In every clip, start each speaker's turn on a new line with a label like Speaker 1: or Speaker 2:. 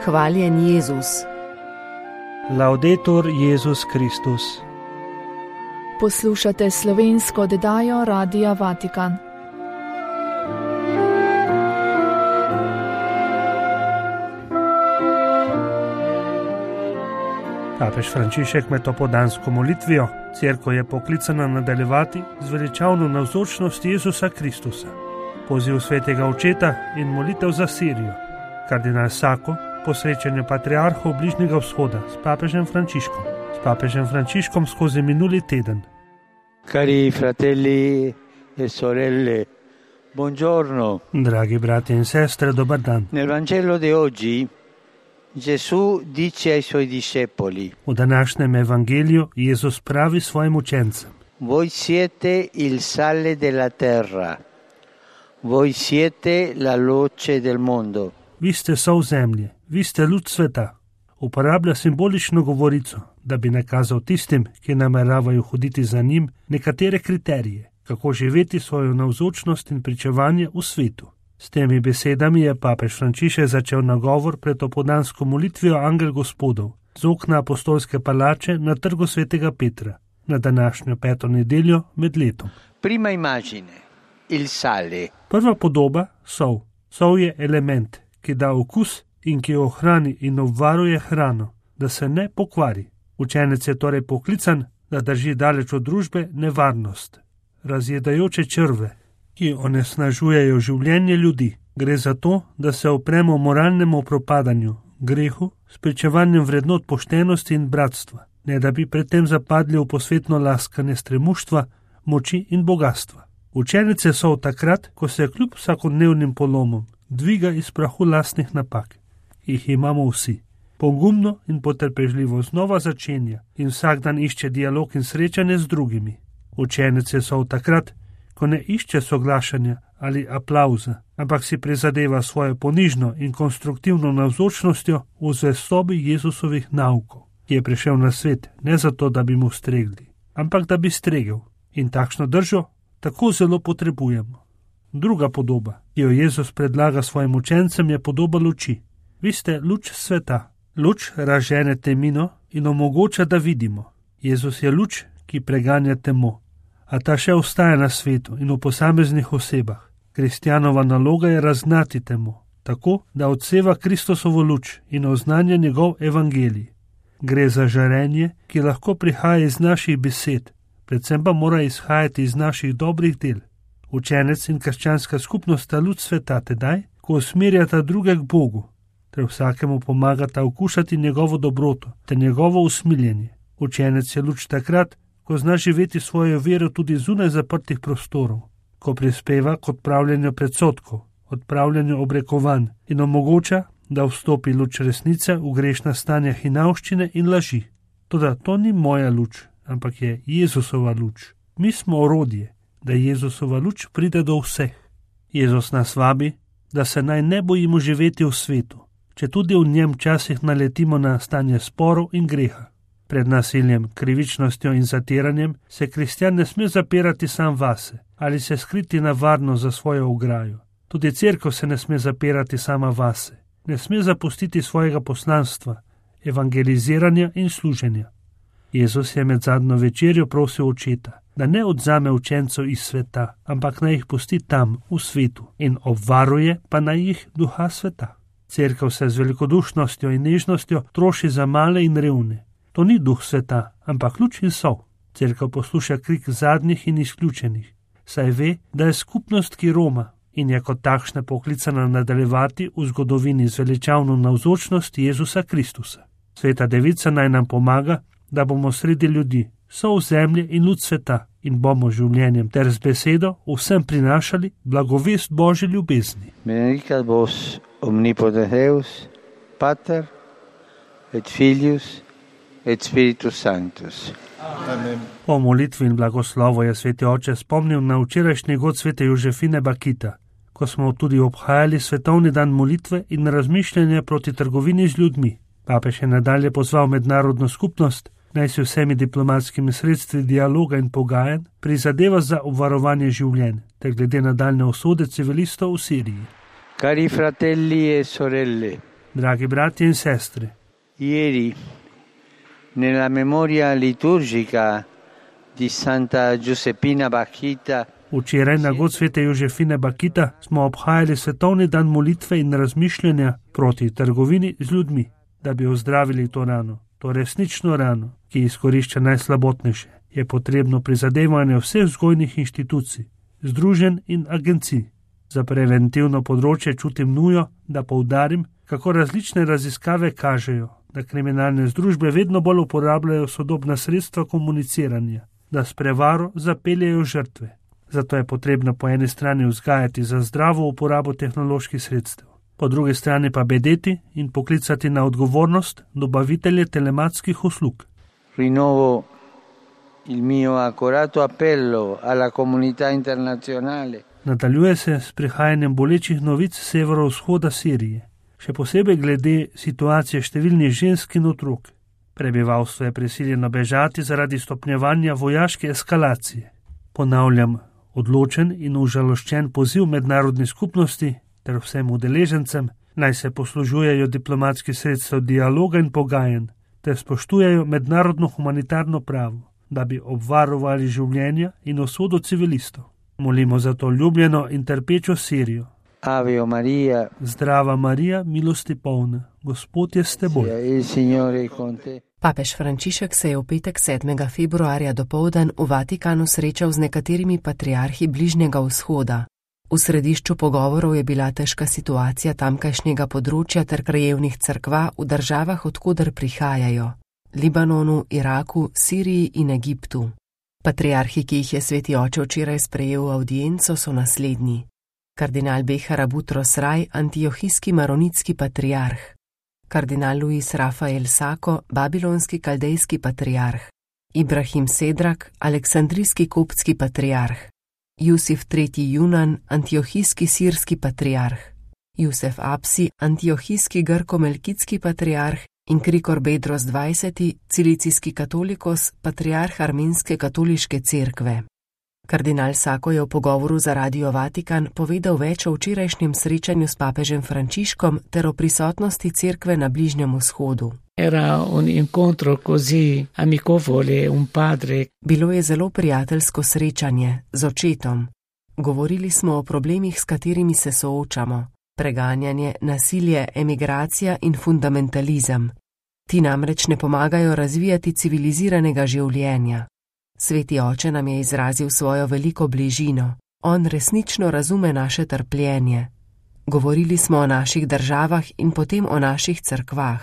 Speaker 1: Hvaljen Jezus.
Speaker 2: Laudetur Jezus Kristus.
Speaker 3: Poslušate slovensko oddajo Radia Vatikan.
Speaker 2: Papež Frančišek med popoldansko molitvijo cerkev je poklicana nadaljevati zveličavno navzočnost Jezusa Kristusa, poziv svetega očeta in molitev za Sirijo. Kardinal Sako po srečanju patriarhov Bližnjega vzhoda s papežem Frančiškom skozi minuli teden.
Speaker 4: Cari fratelli e sorelle, buongiorno.
Speaker 2: Dragi bratje in sestre, dober dan.
Speaker 4: Nel Vangelo di oggi Gesù dice ai suoi discepoli:
Speaker 2: V današnjem evangeliju Jezus pravi svojim učencem:
Speaker 4: Voi siete il sale della terra, voi siete la luce del mondo.
Speaker 2: Vi ste sol zemlje, vi ste luč sveta. Uporablja simbolično govorico, da bi nakazal tistim, ki nameravajo hoditi za njim, nekatere kriterije, kako živeti svojo navzočnost in pričevanje v svetu. S temi besedami je papež Frančišek začel nagovor pred popoldansko molitvijo Angel Gospodov z okna apostolske palače na trgu svetega Petra, na današnjo peto nedeljo med letom.
Speaker 4: Prima immagine, il sale.
Speaker 2: Prva podoba, sol. Sol je element, ki da okus in ki ohrani in obvaruje hrano, da se ne pokvari. Učenec je torej poklican, da drži daleč od družbe nevarnost, razjedajoče črve, ki onesnažujejo življenje ljudi. Gre za to, da se opremo moralnemu propadanju, grehu, s pričevanjem vrednot poštenosti in bratstva, ne da bi predtem zapadli v posvetno laskanje stremuštva, moči in bogatstva. Učenec je sol takrat, ko se kljub vsakodnevnim polomom dviga iz prahu lastnih napak. Jih imamo vsi. Pogumno in potrpežljivo znova začenja in vsak dan išče dialog in srečanje z drugimi. Učenec je sol takrat, ko ne išče soglašanja ali aplavza, ampak si prizadeva svojo ponižno in konstruktivno navzočnostjo v zvestobi Jezusovih naukov, ki je prišel na svet ne zato, da bi mu stregli, ampak da bi stregel. In takšno držo tako zelo potrebujemo. Druga podoba, ki jo Jezus predlaga svojim učencem, je podoba luči. Vi ste luč sveta. Luč razžene temino in omogoča, da vidimo. Jezus je luč, ki preganja temo, a ta še ostaja na svetu in v posameznih osebah. Kristjanova naloga je razgnati temo, tako da odseva Kristusovo luč in oznanja njegov evangelij. Gre za žarenje, ki lahko prihaja iz naših besed, predvsem pa mora izhajati iz naših dobrih del. Učenec in krščanska skupnost sta luč sveta tedaj, ko usmerjata druge k Bogu, ter vsakemu pomagata okušati njegovo dobroto ter njegovo usmiljenje. Učenec je luč takrat, ko zna živeti svojo vero tudi zunaj zaprtih prostorov, ko prispeva k odpravljanju predsodkov, odpravljanju obrekovanj in omogoča, da vstopi luč resnice v grešna stanja hinavščine in laži. Toda to ni moja luč, ampak je Jezusova luč. Mi smo orodje, da Jezusova luč pride do vseh. Jezus nas vabi, da se naj ne bojimo živeti v svetu, če tudi v njem včasih naletimo na stanje sporov in greha. Pred nasiljem, krivičnostjo in zatiranjem se kristjan ne sme zapirati sam vase ali se skriti na varno za svojo ograjo. Tudi cerkev se ne sme zapirati sama vase, ne sme zapustiti svojega poslanstva, evangeliziranja in služenja. Jezus je med zadnjo večerjo prosil očeta, da ne odzame učencev iz sveta, ampak naj jih pusti tam, v svetu, in obvaruje pa naj jih duha sveta. Cerkev se z velikodušnostjo in nežnostjo troši za male in revne. To ni duh sveta, ampak luč in sol. Cerkev posluša krik zadnjih in izključenih, saj ve, da je skupnost, ki roma in je kot takšna poklicana nadaljevati v zgodovini z veličavno navzočnost Jezusa Kristusa. Sveta Devica naj nam pomaga, da bomo sredi ljudi, sol zemlje in luč sveta in bomo življenjem ter z besedo vsem prinašali blagovest Božje ljubezni.
Speaker 4: Benedicat vos omnipotens Deus, Pater et Filius et Spiritus Sanctus.
Speaker 2: Amen. Po molitvi in blagoslovu je sveti oče spomnil na včerajšnji god svete Jožefine Bakita, ko smo tudi obhajali svetovni dan molitve in razmišljanja proti trgovini z ljudmi. Papež je nadalje pozval mednarodno skupnost, naj si vsemi diplomatskimi sredstvi dialoga in pogajanj prizadeva za obvarovanje življenj, ter glede nadaljne usode civilistov v Siriji.
Speaker 4: Cari fratelli e sorelle,
Speaker 2: Dragi bratje in sestre,
Speaker 4: Ieri, nella memoria liturgica di Santa Giuseppina Bakhita,
Speaker 2: včeraj na god svete Jožefine Bakita smo obhajali svetovni dan molitve in razmišljanja proti trgovini z ljudmi, da bi ozdravili to rano, to resnično rano, ki izkorišča najslabotnejše. Je potrebno prizadevanje vseh vzgojnih inštitucij, združenj in agencij. Za preventivno področje čutim nujo, da poudarim, kako različne raziskave kažejo, da kriminalne združbe vedno bolj uporabljajo sodobna sredstva komuniciranja, da s prevaro zapeljejo žrtve. Zato je potrebno po eni strani vzgajati za zdravo uporabo tehnoloških sredstev, po drugi strani pa bedeti in poklicati na odgovornost dobavitelje telematskih uslug.
Speaker 4: Rinnovo il mio accorato appello alla comunità internazionale.
Speaker 2: Nadaljuje se s prihajanjem bolečih novic severovzhoda Sirije, še posebej glede situacije številnih žensk in otrok. Prebivalstvo je prisiljeno bežati zaradi stopnjevanja vojaške eskalacije. Ponavljam, odločen in užaloščen poziv mednarodni skupnosti ter vsem udeležencem naj se poslužujejo diplomatskih sredstev dialoga in pogajanj ter spoštujejo mednarodno humanitarno pravo, da bi obvarovali življenja in usodo civilistov. Molimo za to ljubljeno in trpečo Sirijo.
Speaker 4: Ave Maria,
Speaker 2: Zdrava Marija, milosti polna, Gospod je s teboj.
Speaker 4: il Signore con te.
Speaker 1: Papež Frančišek se je v petek 7. februarja dopoldan v Vatikanu srečal z nekaterimi patriarhi Bližnjega vzhoda. V središču pogovorov je bila težka situacija tamkajšnjega področja ter krajevnih cerkva v državah, odkoder prihajajo: Libanonu, Iraku, Siriji in Egiptu. Patriarhi, ki jih je sveti oče včeraj sprejel v avdienco, so naslednji: kardinal Behar Abutros Raj, antiohijski maronitski patriarh; kardinal Luis Rafael Sako, babilonski kaldejski patriarh; Ibrahim Sedrak, aleksandrijski koptski patriarh; Jusif III. Junan, antiohijski sirski patriarh; Jusef Apsi, antiohijski grko-melkitski patriarh in Krikor Bedros XX., cilicijski katolikos, patriarh armenske katoliške cerkve. Kardinal Sako je v pogovoru za Radio Vatikan povedal več o včerajšnjem srečanju s papežem Frančiškom ter o prisotnosti cerkve na Bližnjem vzhodu.
Speaker 5: Era un incontro così amichevole, un padre.
Speaker 1: Bilo je zelo prijateljsko srečanje z očetom. Govorili smo o problemih, s katerimi se soočamo: preganjanje, nasilje, emigracija in fundamentalizem. Ti namreč ne pomagajo razvijati civiliziranega življenja. Sveti oče nam je izrazil svojo veliko bližino. On resnično razume naše trpljenje. Govorili smo o naših državah in potem o naših cerkvah.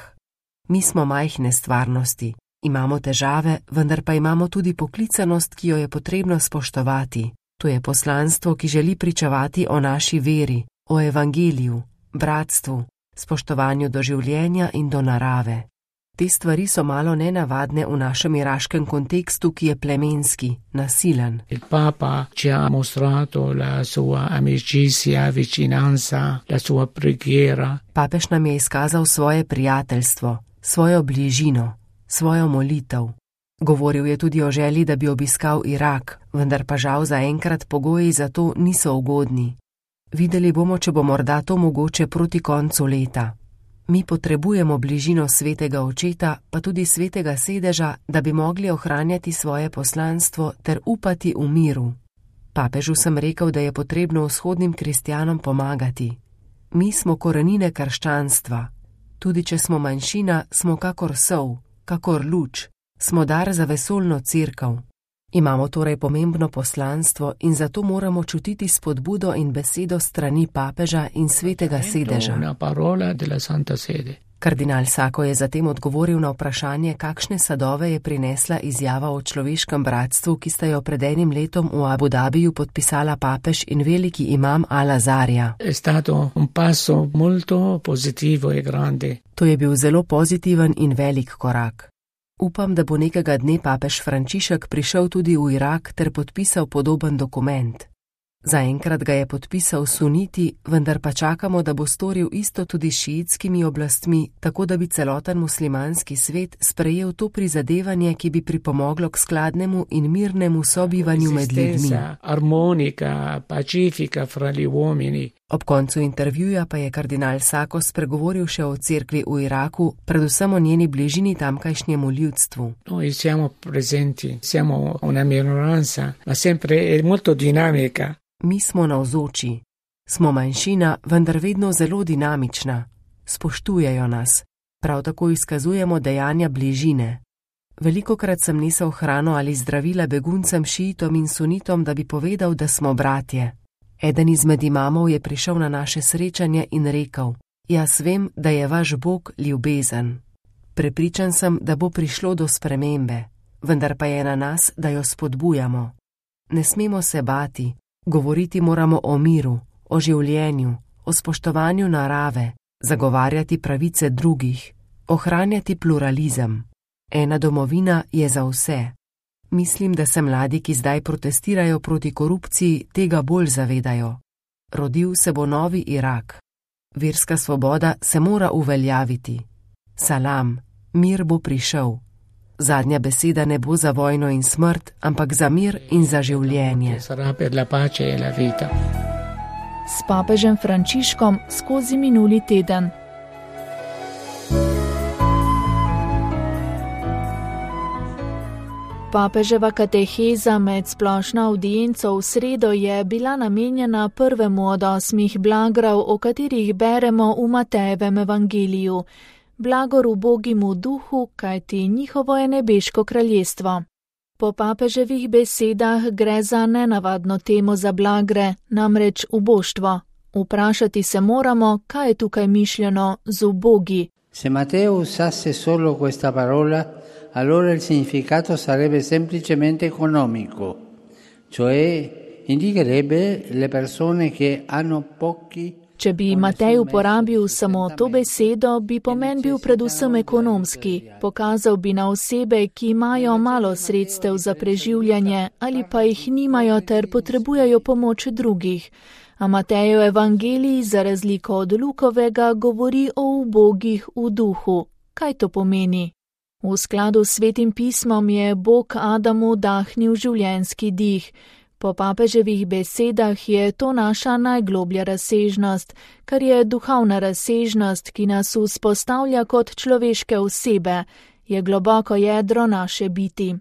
Speaker 1: Mi smo majhne stvarnosti, imamo težave, vendar pa imamo tudi poklicanost, ki jo je potrebno spoštovati. To je poslanstvo, ki želi pričevati o naši veri, o evangeliju, bratstvu, spoštovanju do življenja in do narave. Te stvari so malo nenavadne v našem iraškem kontekstu, ki je plemenski, nasilen.
Speaker 5: Il Papa ci ha mostrato la sua amicizia, vicinanza, la sua preghiera.
Speaker 1: Papež nam je izkazal svoje prijateljstvo, svojo bližino, svojo molitev. Govoril je tudi o želji, da bi obiskal Irak, vendar pa žal zaenkrat pogoji za to niso ugodni. Videli bomo, če bo morda to mogoče proti koncu leta. Mi potrebujemo bližino svetega očeta, pa tudi svetega sedeža, da bi mogli ohranjati svoje poslanstvo ter upati v miru. Papežu sem rekel, da je potrebno vzhodnim kristjanom pomagati. Mi smo korenine krščanstva. Tudi če smo manjšina, smo kakor sol, kakor luč, smo dar za vesoljno cerkev. Imamo torej pomembno poslanstvo in zato moramo čutiti spodbudo in besedo strani papeža in svetega sedeža. Kardinal Sako je zatem odgovoril na vprašanje, kakšne sadove je prinesla izjava o človeškem bratstvu, ki sta jo pred enim letom v Abu Dhabiju podpisala papež in veliki imam Al-Azarja. To je bil zelo pozitiven in velik korak. Upam, da bo nekega dne papež Frančišek prišel tudi v Irak ter podpisal podoben dokument. Zaenkrat ga je podpisal suniti, vendar pa čakamo, da bo storil isto tudi s šiitskimi oblastmi, tako da bi celoten muslimanski svet sprejel to prizadevanje, ki bi pripomoglo k skladnemu in mirnemu sobivanju med ljudmi.
Speaker 5: Armonika, pacifica fra gli uomini.
Speaker 1: Ob koncu intervjuja pa je kardinal Sako spregovoril še o cerkvi v Iraku, predvsem o njeni bližini tamkajšnjemu ljudstvu.
Speaker 5: Noi siamo presenti, siamo una minoranza, ma sempre è molto dinamica.
Speaker 1: Mi smo navzoči. Smo manjšina, vendar vedno zelo dinamična. Spoštujejo nas. Prav tako izkazujemo dejanja bližine. Velikokrat sem nesel hrano ali zdravila beguncem šiitom in sunitom, da bi povedal, da smo bratje. Eden izmed imamov je prišel na naše srečanje in rekel: Jaz vem, da je vaš Bog ljubezen. Prepričan sem, da bo prišlo do spremembe, vendar pa je na nas, da jo spodbujamo. Ne smemo se bati. Govoriti moramo o miru, o življenju, o spoštovanju narave, zagovarjati pravice drugih, ohranjati pluralizem. Ena domovina je za vse. Mislim, da se mladi, ki zdaj protestirajo proti korupciji, tega bolj zavedajo. Rodil se bo novi Irak. Verska svoboda se mora uveljaviti. Salam, mir bo prišel. Zadnja beseda ne bo za vojno in smrt, ampak za mir in za življenje.
Speaker 3: S papežem Frančiškom skozi minuli teden. Papeževa kateheza med splošno avdienco v sredo je bila namenjena prvemu od 8 blagrav, o katerih beremo v Matejevem evangeliju. Blagor ubogim v duhu, kajti njihovo je nebeško kraljestvo. Po papeževih besedah gre za nenavadno temo za blagre, namreč uboštvo. Vprašati se moramo, kaj je tukaj mišljeno z ubogi.
Speaker 4: Se Matteo usasse solo questa parola, allora il significato sarebbe semplicemente economico, cioè indicherebbe le persone che hanno pochi.
Speaker 3: Če bi Matej uporabil samo to besedo, bi pomen bil predvsem ekonomski. Pokazal bi na osebe, ki imajo malo sredstev za preživljanje ali pa jih nimajo ter potrebujejo pomoč drugih. A Matejev evangelij, za razliko od Lukovega, govori o ubogih v duhu. Kaj to pomeni? V skladu s Svetim pismom je Bog Adamu dahnil življenjski dih. Po papeževih besedah je to naša najgloblja razsežnost, kar je duhovna razsežnost, ki nas vzpostavlja kot človeške osebe, je globoko jedro naše biti.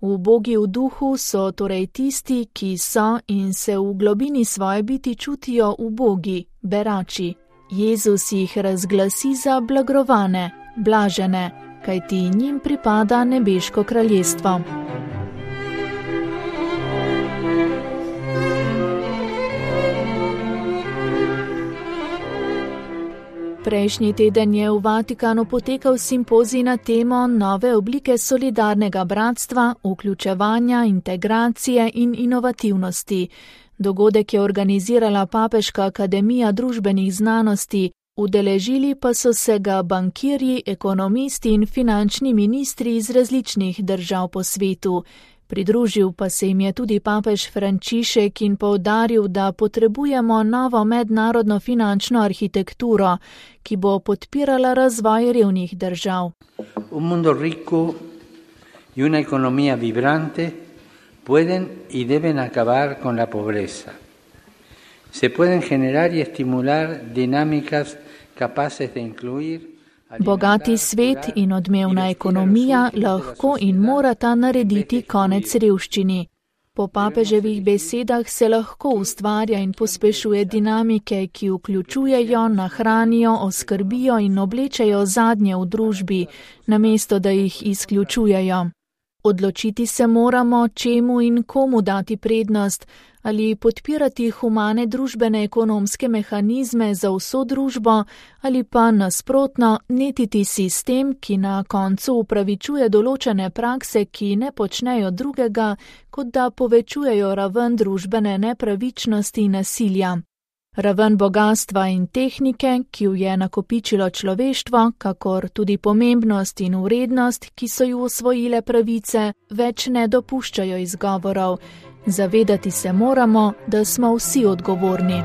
Speaker 3: Ubogi v duhu so torej tisti, ki so in se v globini svoje biti čutijo ubogi, berači. Jezus jih razglasi za blagrovane, blažene, kajti njim pripada nebeško kraljestvo. Prejšnji teden je v Vatikanu potekal simpozij na temo nove oblike solidarnega bratstva, vključevanja, integracije in inovativnosti. Dogodek je organizirala Papeška akademija družbenih znanosti, udeležili pa so se ga bankirji, ekonomisti in finančni ministri iz različnih držav po svetu. Pridružil pa se jim je tudi papež Frančišek in poudaril, da potrebujemo novo mednarodno finančno arhitekturo, ki bo podpirala razvoj revnih držav.
Speaker 4: Un mundo rico y una economía vibrante pueden y deben acabar con la pobreza. Se pueden generar y estimular dinámicas capaces de incluir.
Speaker 3: Bogati svet in odmevna ekonomija lahko in morata narediti konec revščini. Po papeževih besedah se lahko ustvarja in pospešuje dinamike, ki vključujejo, nahranijo, oskrbijo in oblečejo zadnje v družbi, namesto da jih izključujejo. Odločiti se moramo, čemu in komu dati prednost, ali podpirati humane družbene ekonomske mehanizme za vso družbo, ali pa nasprotno netiti sistem, ki na koncu upravičuje določene prakse, ki ne počnejo drugega, kot da povečujejo raven družbene nepravičnosti in nasilja. Raven bogatstva in tehnike, ki jo je nakopičilo človeštvo, kakor tudi pomembnost in vrednost, ki so ju osvojile pravice, več ne dopuščajo izgovorov. Zavedati se moramo, da smo vsi odgovorni.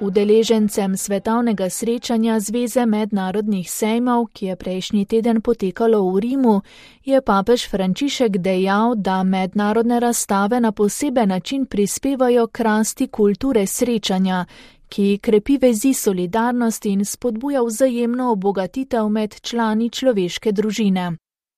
Speaker 3: Udeležencem svetovnega srečanja Zveze mednarodnih sejmov, ki je prejšnji teden potekalo v Rimu, je papež Frančišek dejal, da mednarodne razstave na poseben način prispevajo k rasti kulture srečanja, ki krepi vezi solidarnosti in spodbuja vzajemno obogatitev med člani človeške družine.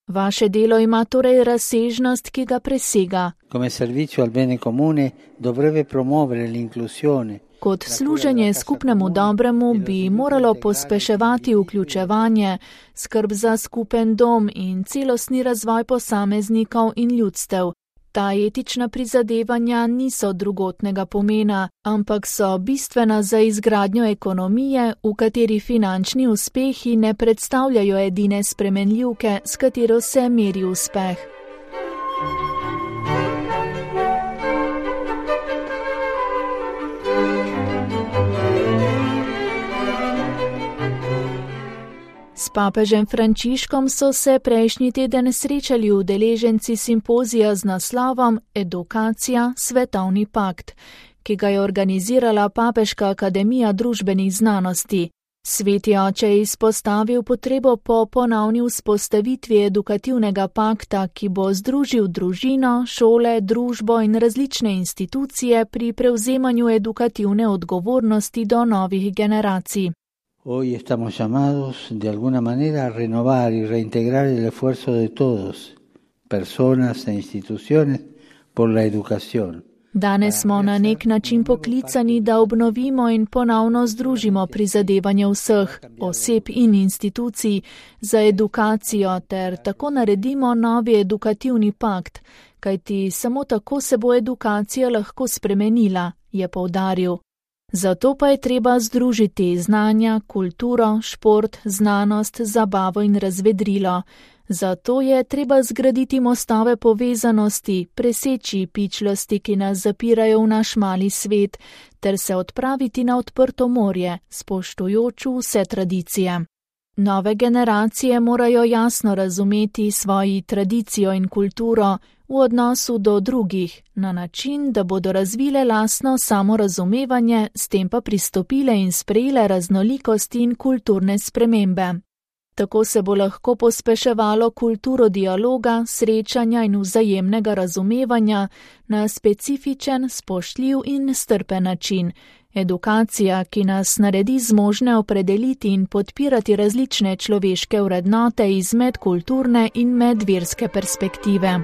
Speaker 3: Vaše delo ima torej razsežnost, ki ga presega.
Speaker 4: Come servizio al bene comune dovrebbe promuovere l'inclusione.
Speaker 3: Kot služenje skupnemu dobremu bi moralo pospeševati vključevanje, skrb za skupen dom in celostni razvoj posameznikov in ljudstev. Ta etična prizadevanja niso drugotnega pomena, ampak so bistvena za izgradnjo ekonomije, v kateri finančni uspehi ne predstavljajo edine spremenljivke, s katero se meri uspeh. S papežem Frančiškom so se prejšnji teden srečali udeleženci simpozija z naslovom Edukacija, svetovni pakt, ki ga je organizirala Papeška akademija družbenih znanosti. Sveti oče je izpostavil potrebo po ponovni vzpostavitvi edukativnega pakta, ki bo združil družino, šole, družbo in različne institucije pri prevzemanju edukativne odgovornosti do novih generacij.
Speaker 4: Hoy estamos llamados de alguna manera a renovar y reintegrar el esfuerzo de todos, personas e instituciones, por la educación.
Speaker 3: Danes smo na nek način poklicani, da obnovimo in ponovno združimo prizadevanje vseh, oseb in institucij za edukacijo ter tako naredimo novi edukativni pakt, kajti samo tako se bo edukacija lahko spremenila, je poudaril. Zato pa je treba združiti znanja, kulturo, šport, znanost, zabavo in razvedrilo. Zato je treba zgraditi mostove povezanosti, preseči pičlosti, ki nas zapirajo v naš mali svet, ter se odpraviti na odprto morje, spoštujoč vse tradicije. Nove generacije morajo jasno razumeti svoji tradicijo in kulturo v odnosu do drugih, na način, da bodo razvile lastno samorazumevanje, s tem pa pristopile in sprejele raznolikosti in kulturne spremembe. Tako se bo lahko pospeševalo kulturo dialoga, srečanja in vzajemnega razumevanja na specifičen, spoštljiv in strpen način. Edukacija, ki nas naredi zmožne opredeliti in podpirati različne človeške vrednote iz medkulturne in medverske perspektive.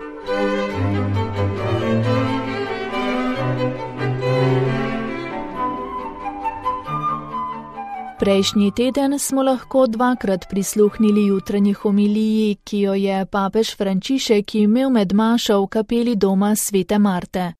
Speaker 3: Prejšnji teden smo lahko dvakrat prisluhnili jutranji homiliji, ki jo je papež Frančišek imel med mašo v kapeli doma Svete Marte.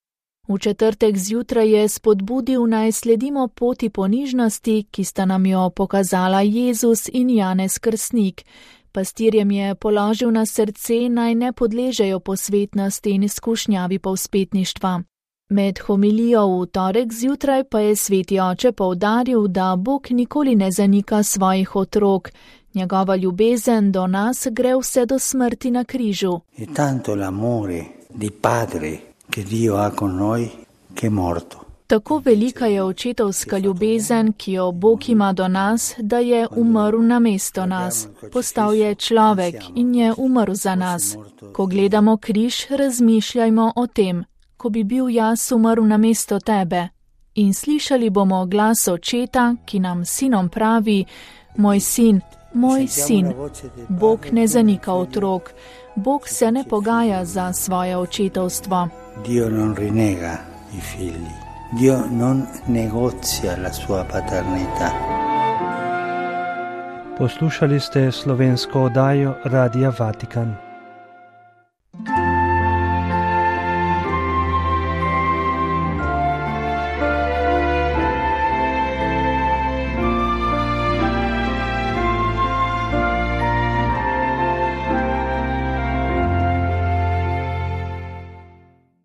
Speaker 3: V četrtek zjutraj je spodbudil, naj sledimo poti ponižnosti, ki sta nam jo pokazala Jezus in Janez Krstnik. Pastirjem je položil na srce, naj ne podležejo posvetnosti in skušnjavi povzpetništva. Med homilijo v torek zjutraj pa je sveti oče poudaril, da Bog nikoli ne zanika svojih otrok. Njegova ljubezen do nas gre vse do smrti na križu.
Speaker 4: E tanto l'amore di Padre che Dio ha con noi, che è morto.
Speaker 3: Tako velika je očetovska ljubezen, ki jo Bog ima do nas, da je umrl namesto nas. Postal je človek in je umrl za nas. Ko gledamo križ, razmišljajmo o tem. Ko bi bil jaz umrl namesto tebe. In slišali bomo glas očeta, ki nam sinom pravi: moj sin, moj sin. Bog ne zanika otrok. Bog se ne pogaja za svoje očetovstvo.
Speaker 4: Dio non rinnega i figli. Dio non negozia la sua paternità.
Speaker 2: Poslušali ste slovensko oddajo Radia Vatikan.